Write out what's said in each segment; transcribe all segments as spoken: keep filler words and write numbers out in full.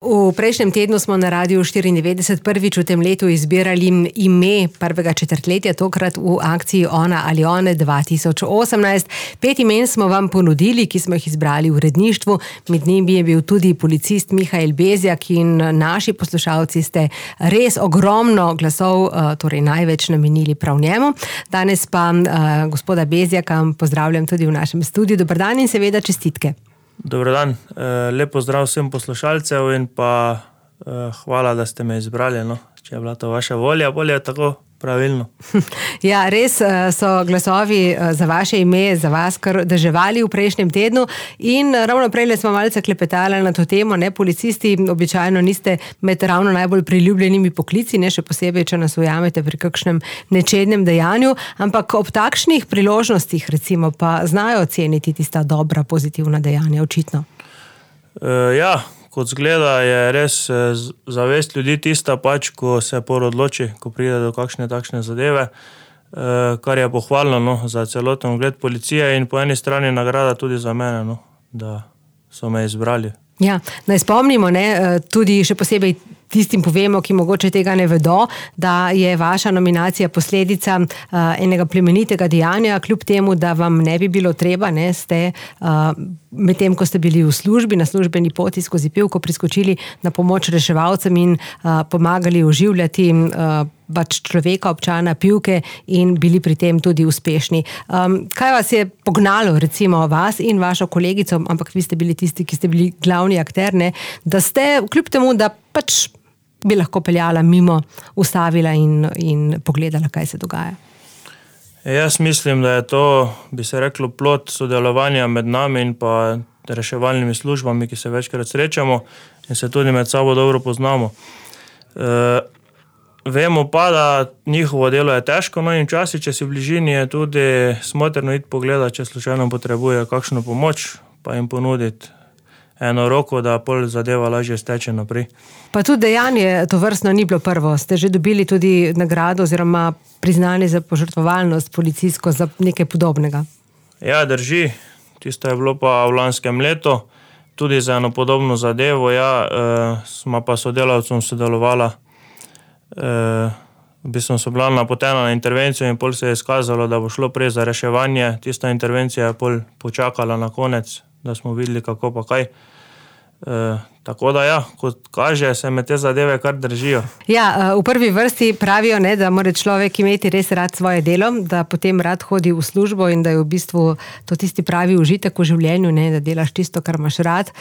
V prejšnjem tednu smo na Radiu štiriindevetdeset prvič v tem letu izbirali ime prvega četrtletja, tokrat v akciji Ona ali one dva tisoč osemnajst. Pet imen smo vam ponudili, ki smo jih izbrali v uredništvu. Med njimi je bil tudi policist Mihael Bezjak in naši poslušalci ste res ogromno glasov, torej največ namenili prav njemu. Danes pa gospoda Bezjaka pozdravljam tudi v našem studiu. Dober dan in seveda čestitke. Dober dan, lep pozdrav vsem poslušalcev in pa hvala, da ste me izbrali, no. Če je bila to vaša volja, bolje je tako pravilno. Ja, res so glasovi za vaše ime, za vas kar deževali v prejšnjem tednu in ravno prejle smo malce klepetali na to temo, ne, policisti običajno niste med ravno najbolj priljubljenimi poklici, ne, še posebej, če nas ujamete pri kakšnem nečednem dejanju, ampak ob takšnih priložnostih recimo pa znajo oceniti tista dobra, pozitivna dejanja, očitno. E, ja, kot zgleda, je res zavest ljudi tista pač, ko se por odloči, ko pride do kakšne takšne zadeve, kar je pohvalno, no, za celoten ugled policije in po eni strani nagrada tudi za mene, no, da so me izbrali. Ja, naj spomnimo, ne, tudi še posebej tistim povemo, ki mogoče tega ne vedo, da je vaša nominacija posledica uh, enega plemenitega dejanja, kljub temu, da vam ne bi bilo treba, ne, ste uh, medtem, ko ste bili v službi, na službeni poti skozi Pivko priskočili na pomoč reševalcem in uh, pomagali oživljati uh, pač človeka, občana Pivke in bili pri tem tudi uspešni. Um, kaj vas je pognalo, recimo vas in vašo kolegico, ampak vi ste bili tisti, ki ste bili glavni akter, ne, da ste, kljub temu, da pač bi lahko peljala mimo, ustavila in, in pogledala, kaj se dogaja? Jaz mislim, da je to, bi se reklo, plod sodelovanja med nami in pa reševalnimi službami, ki se večkrat srečamo in se tudi med sabo dobro poznamo. E, vemo pa, da njihovo delo je težko, no in včasih, če si v bližini, je tudi smotrno iti pogledati, če slučajno potrebuje kakšno pomoč, pa jim ponuditi eno roko, da pol zadeva lažje steče naprej. Pa tudi dejanje to vrstno ni bilo prvo. Ste že dobili tudi nagrado oziroma priznanje za požrtvovalnost policijsko za nekaj podobnega? Ja, drži. Tisto je bilo pa v lanskem letu. Tudi za eno podobno zadevo, ja, eh, smo pa sodelavcem sodelovala. Eh, v bistvu so bila napotena na intervencijo in pol se je izkazalo, da bo šlo prej za reševanje. Tista intervencija je pol počakala na konec, da smo videli kako pa kaj. E, tako da ja, kot kaže, se me te zadeve kar držijo. Ja, v prvi vrsti pravijo, ne, da mora človek imeti res rad svoje delo, da potem rad hodi v službo in da je v bistvu to tisti pravi užitek v življenju, ne, da delaš tisto, kar imaš rad.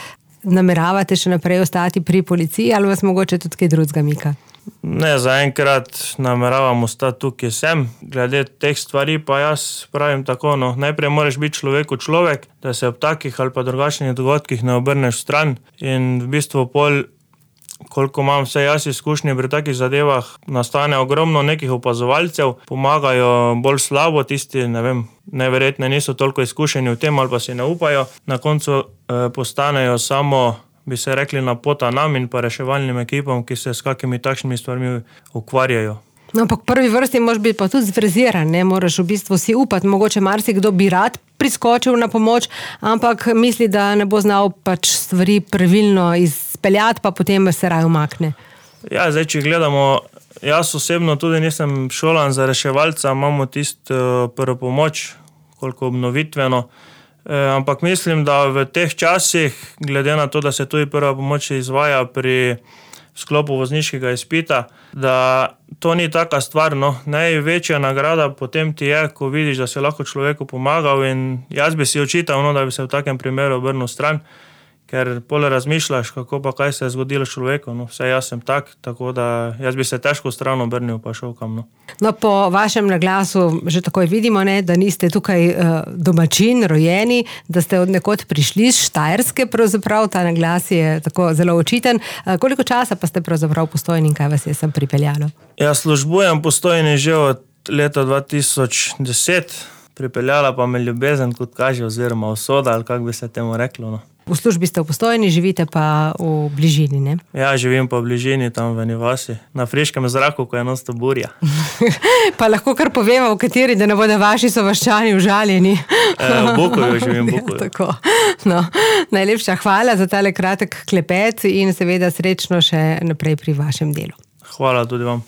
Nameravate še naprej ostati pri policiji ali vas mogoče tudi kaj drugega mika? Ne, zaenkrat nameravam ostati tukaj sem. Glede teh stvari pa jaz pravim tako, no, najprej moraš biti človeku človek, da se ob takih ali pa drugačnih dogodkih ne obrneš stran in v bistvu pol, koliko imam vse jaz izkušnje pri takih zadevah, nastane ogromno nekih opazovalcev, pomagajo bolj slabo, tisti, ne vem, neverjetne niso toliko izkušeni v tem ali pa si ne upajo, na koncu eh, postanejo samo, bi se rekli, na pota nam in pa reševalnim ekipom, ki se s kakimi takšnimi stvarmi ukvarjajo. No, ampak prvi vrsti moraš biti pa tudi zfreziran, ne, moraš v bistvu si upati, mogoče marsikdo bi rad priskočil na pomoč, ampak misli, da ne bo znal pač stvari pravilno izpeljati, pa potem se raj umakne. Ja, zdaj, če gledamo, jaz osebno tudi nisem šolan za reševalca, imamo tisto prvo pomoč, koliko obnovitveno, E, ampak mislim, da v teh časih, glede na to, da se tudi prva pomoč izvaja pri sklopu vozniškega izpita, da to ni taka stvar, no. Največja nagrada potem ti je, ko vidiš, da si lahko človeku pomagal in jaz bi si očital, no, da bi se v takem primeru obrnil stran, ker pol razmišljaš, kako pa kaj se je zgodilo s človekom, no, vse jaz sem tak, tako da jaz bi se težko stran obrnil pa šel kam, no. No, po vašem naglasu že takoj vidimo, ne, da niste tukaj uh, domačin, rojeni, da ste od nekod prišli z Štajerske, pravzaprav ta naglas je tako zelo očiten. Uh, koliko časa pa ste pravzaprav Postojni in kaj vas je sem pripeljalo? Ja, službujem Postojni že od leta dva tisoč deset, pripeljala pa me ljubezen, kot kaže, oziroma usoda, ali kako bi se temu reklo, no. V službi ste v Postojni, živite pa v bližini, ne? Ja, živim pa v bližini, tam v eni vasi, na friškem zraku, ko je non-stop burja. Pa lahko kar povemo, v kateri, da ne bodo vaši sovaščani užaljeni. E, v Bukovju živim, v Bukovju. Ja, tako. No, najlepša hvala za tale kratek klepet in seveda srečno še naprej pri vašem delu. Hvala tudi vam.